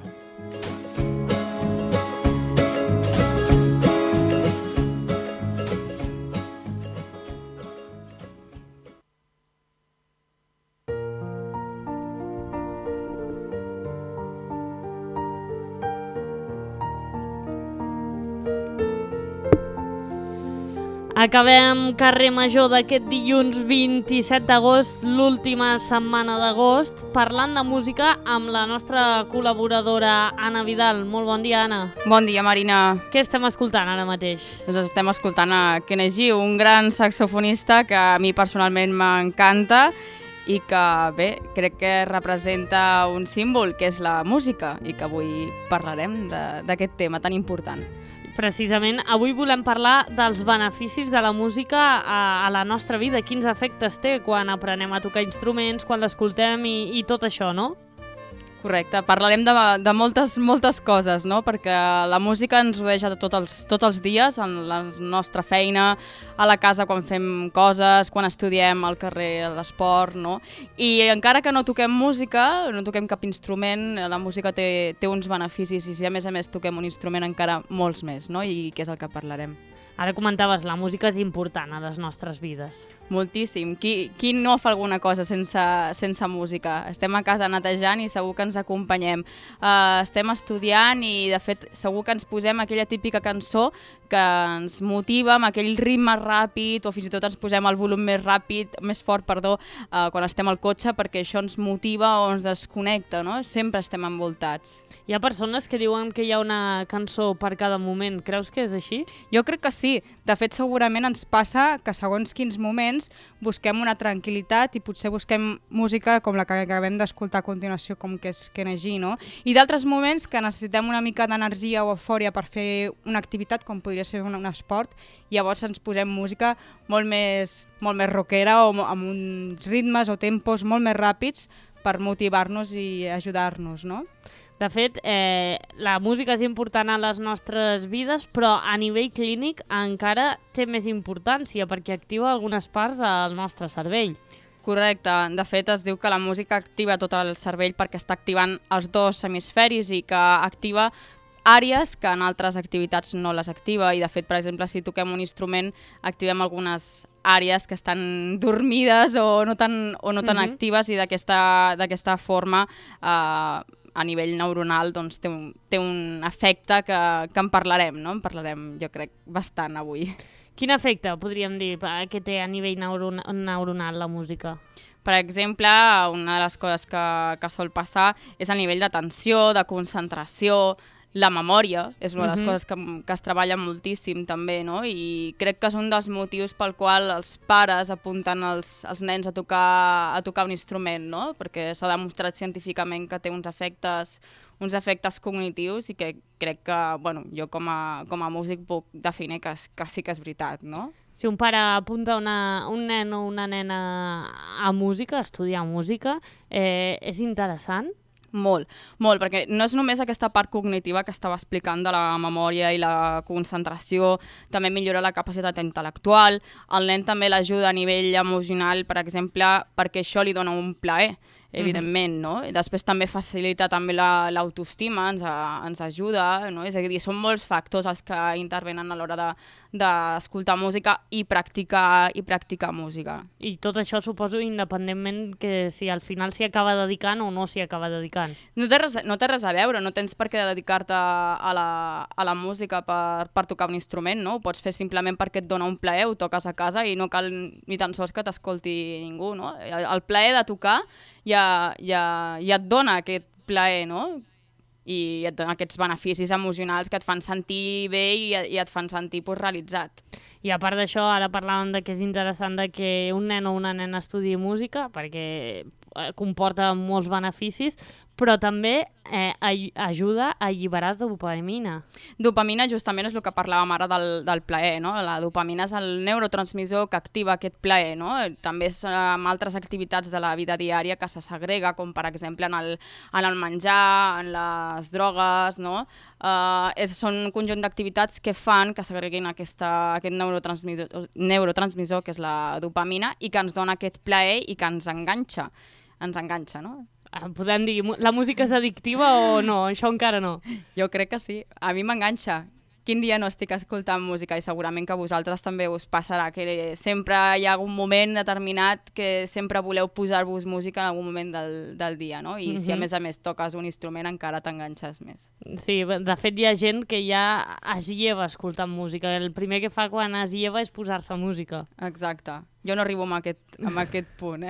Acabem Carrer Major d'aquest dilluns 27 d'agost, l'última setmana d'agost, parlant de música amb la nostra col·laboradora Anna Vidal. Molt bon dia, Anna. Bon dia, Marina. Què estem escoltant ara mateix? Doncs estem escoltant a Kenny G, un gran saxofonista que a mi personalment m'encanta i que, bé, crec que representa un símbol, que és la música, i que avui parlarem d'aquest tema tan important. Precisament, avui volem parlar dels beneficis de la música a la nostra vida, quins efectes té quan aprenem a tocar instruments, quan l'escoltem i tot això, no? Correcte, parlarem de moltes coses, no? Perquè la música ens rodeja de tots els dies, en la nostra feina, a la casa quan fem coses, quan estudiem, al carrer, a l'esport, no? I encara que no toquem música, no toquem cap instrument, la música té uns beneficis i si a més toquem un instrument encara molts més, no? I què és el que parlarem. Ara comentaves, la música és important a les nostres vides. Moltíssim. Qui no fa alguna cosa sense música? Estem a casa netejant i segur que ens acompanyem. Estem estudiant i, de fet, segur que ens posem aquella típica cançó que ens motiva amb aquell ritme ràpid o fins i tot ens posem el volum més fort, quan estem al cotxe perquè això ens motiva o ens desconnecta, no? Sempre estem envoltats. Hi ha persones que diuen que hi ha una cançó per cada moment. Creus que és així? Jo crec que sí. De fet, segurament ens passa que segons quins moments busquem una tranquil·litat i potser busquem música com la que acabem d'escoltar a continuació, com que és Kenny G, no? I d'altres moments que necessitem una mica d'energia o eufòria per fer una activitat, com podria ser un esport, i llavors ens posem música molt més rockera o amb uns ritmes o tempos molt més ràpids per motivar-nos i ajudar-nos, no? De fet, la música és important a les nostres vides, però a nivell clínic encara té més importància perquè activa algunes parts del nostre cervell. Correcte. De fet, es diu que la música activa tot el cervell perquè està activant els dos hemisferis i que activa àrees que en altres activitats no les activa i, de fet, per exemple, si toquem un instrument, activem algunes àrees que estan dormides o no tan actives i d'aquesta forma a nivell neuronal doncs, té un efecte que en parlarem, no? En parlarem, jo crec, bastant avui. Quin efecte, podríem dir, que té a nivell neuronal la música? Per exemple, una de les coses que sol passar és a nivell d'atenció, de concentració, la memòria és una de les coses que es treballa moltíssim també, no? I crec que és un dels motius pel qual els pares apunten els nens a tocar un instrument, no? Perquè s'ha demostrat científicament que té uns efectes cognitius i que crec que, bueno, jo com a músic puc definir que sí que és veritat, no? Si un pare apunta un nen o una nena a música, a estudiar música, és interessant? Molt, molt, perquè no és només aquesta part cognitiva que estava explicant de la memòria i la concentració, també millora la capacitat intel·lectual, el nen també l'ajuda a nivell emocional, per exemple, perquè això li dona un plaer, evidentment, no? I després també facilita també l'autoestima, ens ajuda, no? És a dir, són molts factors els que intervenen a l'hora d'escoltar música i practicar música. I tot això suposo independentment que si al final s'hi acaba dedicant o no s'hi acaba dedicant. No té res a veure, no tens per què dedicar-te a la música per tocar un instrument, no? Ho pots fer simplement perquè et dona un plaer, ho toques a casa i no cal ni tan sols que t'escolti ningú, no? El plaer de tocar ja et dona aquest plaer, no? I et dona aquests beneficis emocionals que et fan sentir bé i et fan sentir realitzat. I a part d'això, ara parlàvem de que és interessant que un nen o una nena estudiï música perquè comporta molts beneficis, però també ajuda a alliberar dopamina. Dopamina justament és el que parlàvem ara del plaer, no? La dopamina és el neurotransmissor que activa aquest plaer, no? També és amb altres activitats de la vida diària que se segrega, com per exemple en el menjar, en les drogues, no? Són un conjunt d'activitats que fan que segreguin aquest neurotransmissor, que és la dopamina, i que ens dona aquest plaer i que ens enganxa, no? Podem dir, la música és addictiva o no? Això encara no. Jo crec que sí. A mi m'enganxa. Quin dia no estic escoltant música? I segurament que a vosaltres també us passarà, que sempre hi ha algun moment determinat que sempre voleu posar-vos música en algun moment del dia, no? I si a més toques un instrument encara t'enganxes més. Sí, de fet hi ha gent que ja es lleva escoltant música. El primer que fa quan es lleva és posar-se música. Exacte. Jo no arribo a aquest punt,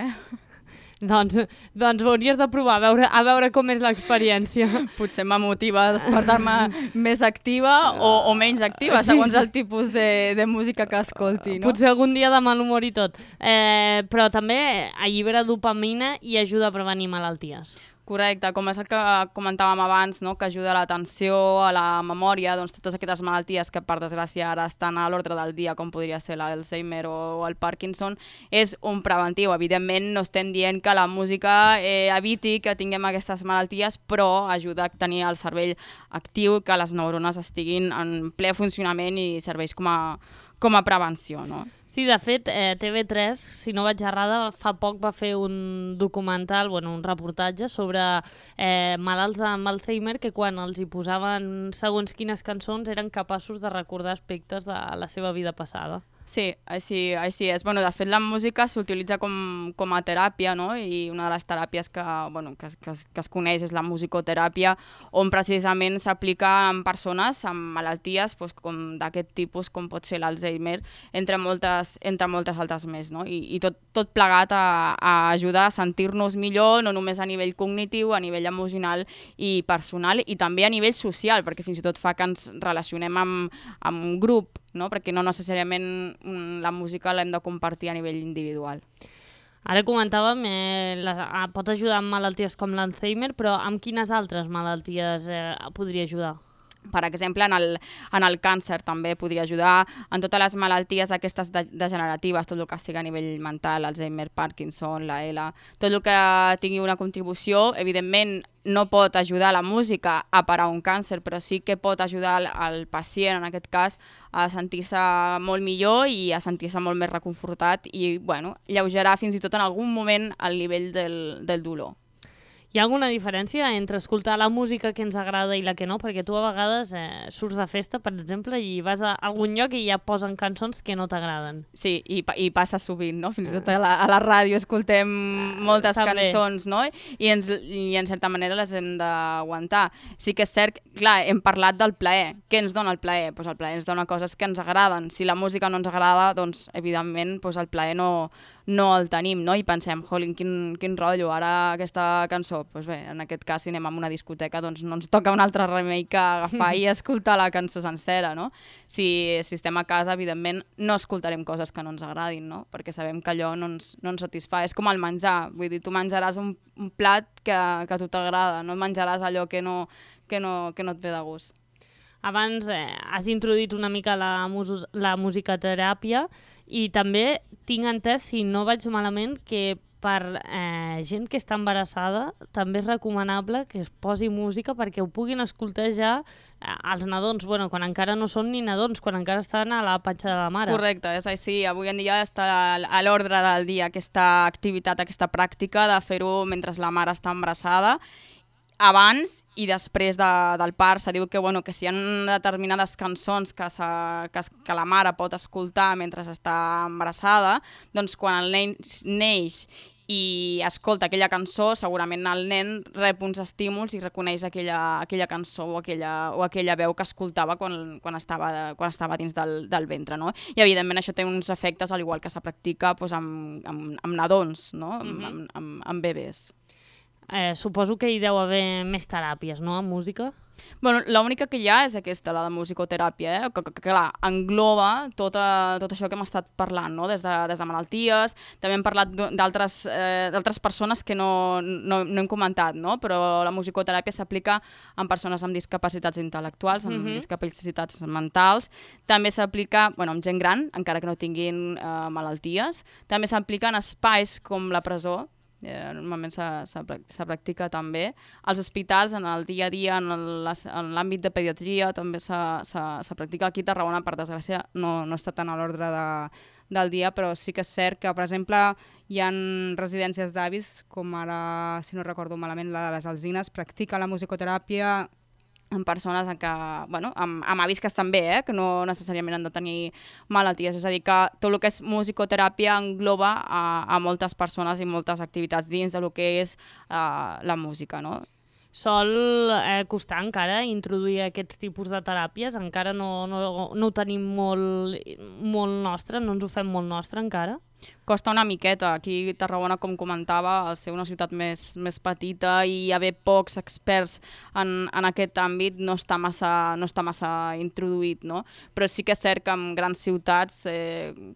Doncs ho hauries de provar, a veure com és l'experiència. Potser m'motiva a despertar-me més activa o menys activa, segons el tipus de música que escolti, no? Potser algun dia de mal humor i tot. Però també allibera dopamina i ajuda a prevenir malalties. Correcte, com és el que comentàvem abans, no? Que ajuda a l'atenció, a la memòria, doncs totes aquestes malalties que per desgràcia ara estan a l'ordre del dia, com podria ser l'Alzheimer o el Parkinson, és un preventiu. Evidentment no estem dient que la música eviti que tinguem aquestes malalties, però ajuda a tenir el cervell actiu, que les neurones estiguin en ple funcionament i serveix com a prevenció, no? Sí, de fet, TV3, si no vaig errada, fa poc va fer un documental, un reportatge sobre malalts amb Alzheimer que quan els hi posaven segons quines cançons eren capaços de recordar aspectes de la seva vida passada. Sí, així és. De fet, la música s'utilitza com a teràpia, no? I una de les teràpies que es coneix és la musicoteràpia, on precisament s'aplica en persones amb malalties com d'aquest tipus, com pot ser l'Alzheimer, entre moltes altres més, no? I tot plegat a ajudar a sentir-nos millor, no només a nivell cognitiu, a nivell emocional i personal, i també a nivell social, perquè fins i tot fa que ens relacionem amb un grup, no? Perquè no necessàriament la música l'hem de compartir a nivell individual. Ara comentàvem, pot ajudar amb malalties com l'Alzheimer, però amb quines altres malalties podria ajudar? Per exemple, en el càncer també podria ajudar, en totes les malalties aquestes degeneratives, tot el que sigui a nivell mental, Alzheimer, Parkinson, la ELA, tot el que tingui una contribució, evidentment no pot ajudar la música a parar un càncer, però sí que pot ajudar el pacient, en aquest cas, a sentir-se molt millor i a sentir-se molt més reconfortat i, lleugerar fins i tot en algun moment el nivell del dolor. Hi ha alguna diferència entre escoltar la música que ens agrada i la que no? Perquè tu a vegades surts de festa, per exemple, i vas a algun lloc i ja posen cançons que no t'agraden. Sí, i passa sovint, no? Fins i tot a la ràdio escoltem moltes cançons, no? I en certa manera les hem d'aguantar. Sí que és cert, clar, hem parlat del plaer. Què ens dona el plaer? Doncs el plaer ens dona coses que ens agraden. Si la música no ens agrada, doncs evidentment el plaer no el tenim, no? I pensem, jolín, quin rotllo, ara aquesta cançó. Doncs bé, en aquest cas, si anem a una discoteca, doncs no ens toca un altre remei que agafar i escoltar la cançó sencera, no? Si estem a casa, evidentment, no escoltarem coses que no ens agradin, no? Perquè sabem que allò no ens satisfà. És com el menjar, vull dir, tu menjaràs un plat que a tu t'agrada, no menjaràs allò que no et ve de gust. Abans has introduït una mica la musicoteràpia i també tinc entès, si no vaig malament, que per gent que està embarassada també és recomanable que es posi música perquè ho puguin escoltar ja els nadons, quan encara no són ni nadons, quan encara estan a la panxa de la mare. Correcte, és així. Avui en dia està a l'ordre del dia aquesta activitat, aquesta pràctica de fer-ho mentre la mare està embarassada. Abans i després del part se diu que si hi ha determinades cançons que la mare pot escoltar mentre està embarassada, doncs quan el nen neix i escolta aquella cançó, segurament el nen rep uns estímuls i reconeix aquella cançó o aquella veu que escoltava quan estava dins del ventre, no? I evidentment això té uns efectes al igual que se practica amb nadons, no? Amb bebès. Suposo que hi deu haver més teràpies, no?, amb música? L'única que hi ha és aquesta, la de musicoteràpia, que clar, engloba tot això que hem estat parlant, no? Des de malalties, també hem parlat d'altres persones que no hem comentat, no? Però la musicoteràpia s'aplica en persones amb discapacitats intel·lectuals, amb discapacitats mentals, també s'aplica amb gent gran, encara que no tinguin malalties, també s'aplica en espais com la presó, normalment se practica també. Als hospitals, en el dia a dia, en l'àmbit de pediatria, també se practica. Aquí a Tarragona, per desgràcia, no està tan a l'ordre del dia, però sí que és cert que, per exemple, hi ha residències d'avis, com ara, si no recordo malament, la de les Alzines, practica la musicoteràpia en persones amb avis que estan bé, que no necessàriament han de tenir malalties. És a dir, que tot el que és musicoteràpia engloba a moltes persones i moltes activitats dins del que és la música, no? Sol costar encara introduir aquests tipus de teràpies? Encara no ho tenim molt nostre, no ens ho fem molt nostre encara? Costa una miqueta. Aquí a Tarragona, com comentava, al ser una ciutat més petita i haver pocs experts en aquest àmbit no està massa introduït, no? Però sí que és cert que en grans ciutats,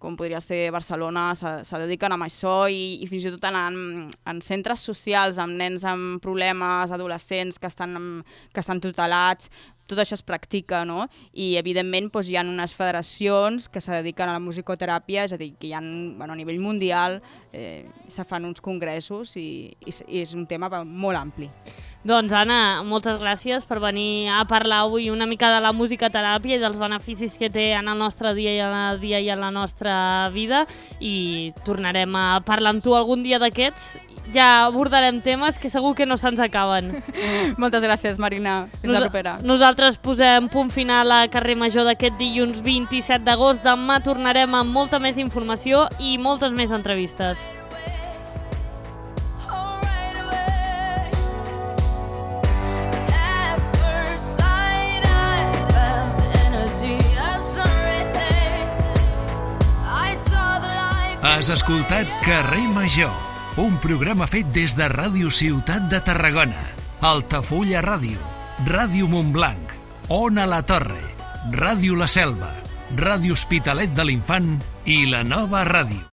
com podria ser Barcelona, se dediquen a això i fins i tot en centres socials amb nens amb problemes, adolescents que estan tutelats, tot això es practica, no? I, evidentment, hi ha unes federacions que se dediquen a la musicoteràpia, és a dir, que hi ha, a nivell mundial, se fan uns congressos i és un tema molt ampli. Doncs, Anna, moltes gràcies per venir a parlar avui una mica de la musicoteràpia i dels beneficis que té en el nostre dia i en la nostra vida, i tornarem a parlar amb tu algun dia d'aquests. Ja abordarem temes que segur que no se'ns acaben. Moltes gràcies, Marina. Fins la propera. Nosaltres posem punt final a Carrer Major d'aquest dilluns 27 d'agost. Demà tornarem amb molta més informació i moltes més entrevistes. Has escoltat Carrer Major, un programa fet des de Ràdio Ciutat de Tarragona, Altafulla Ràdio, Ràdio Montblanc, Ona la Torre, Ràdio La Selva, Ràdio Hospitalet de l'Infant i La Nova Ràdio.